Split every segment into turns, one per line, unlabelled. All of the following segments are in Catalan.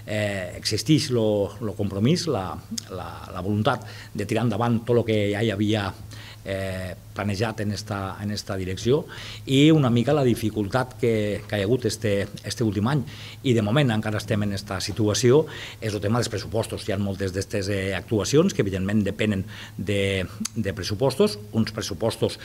existeix el compromís, la voluntat de tirar endavant tot el que ja hi havia planejat en esta direcció, i una mica la dificultat que hi ha hagut este últim any, i de moment encara estem en aquesta situació, és el tema dels pressupostos. Hi ha moltes d'aquestes actuacions que evidentment depenen de pressupostos, uns pressupostos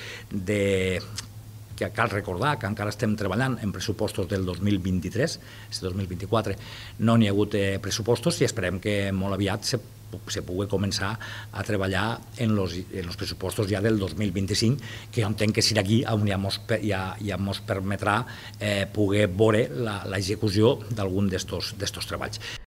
que cal recordar que encara estem treballant en pressupostos del 2023, este 2024 no n'hi ha hagut pressupostos, i esperem que molt aviat se pugui començar a treballar en els pressupostos ja del 2025, que jo entenc que serà aquí on ja ens permetrà poder veure l'execució d'algun d'estos treballs.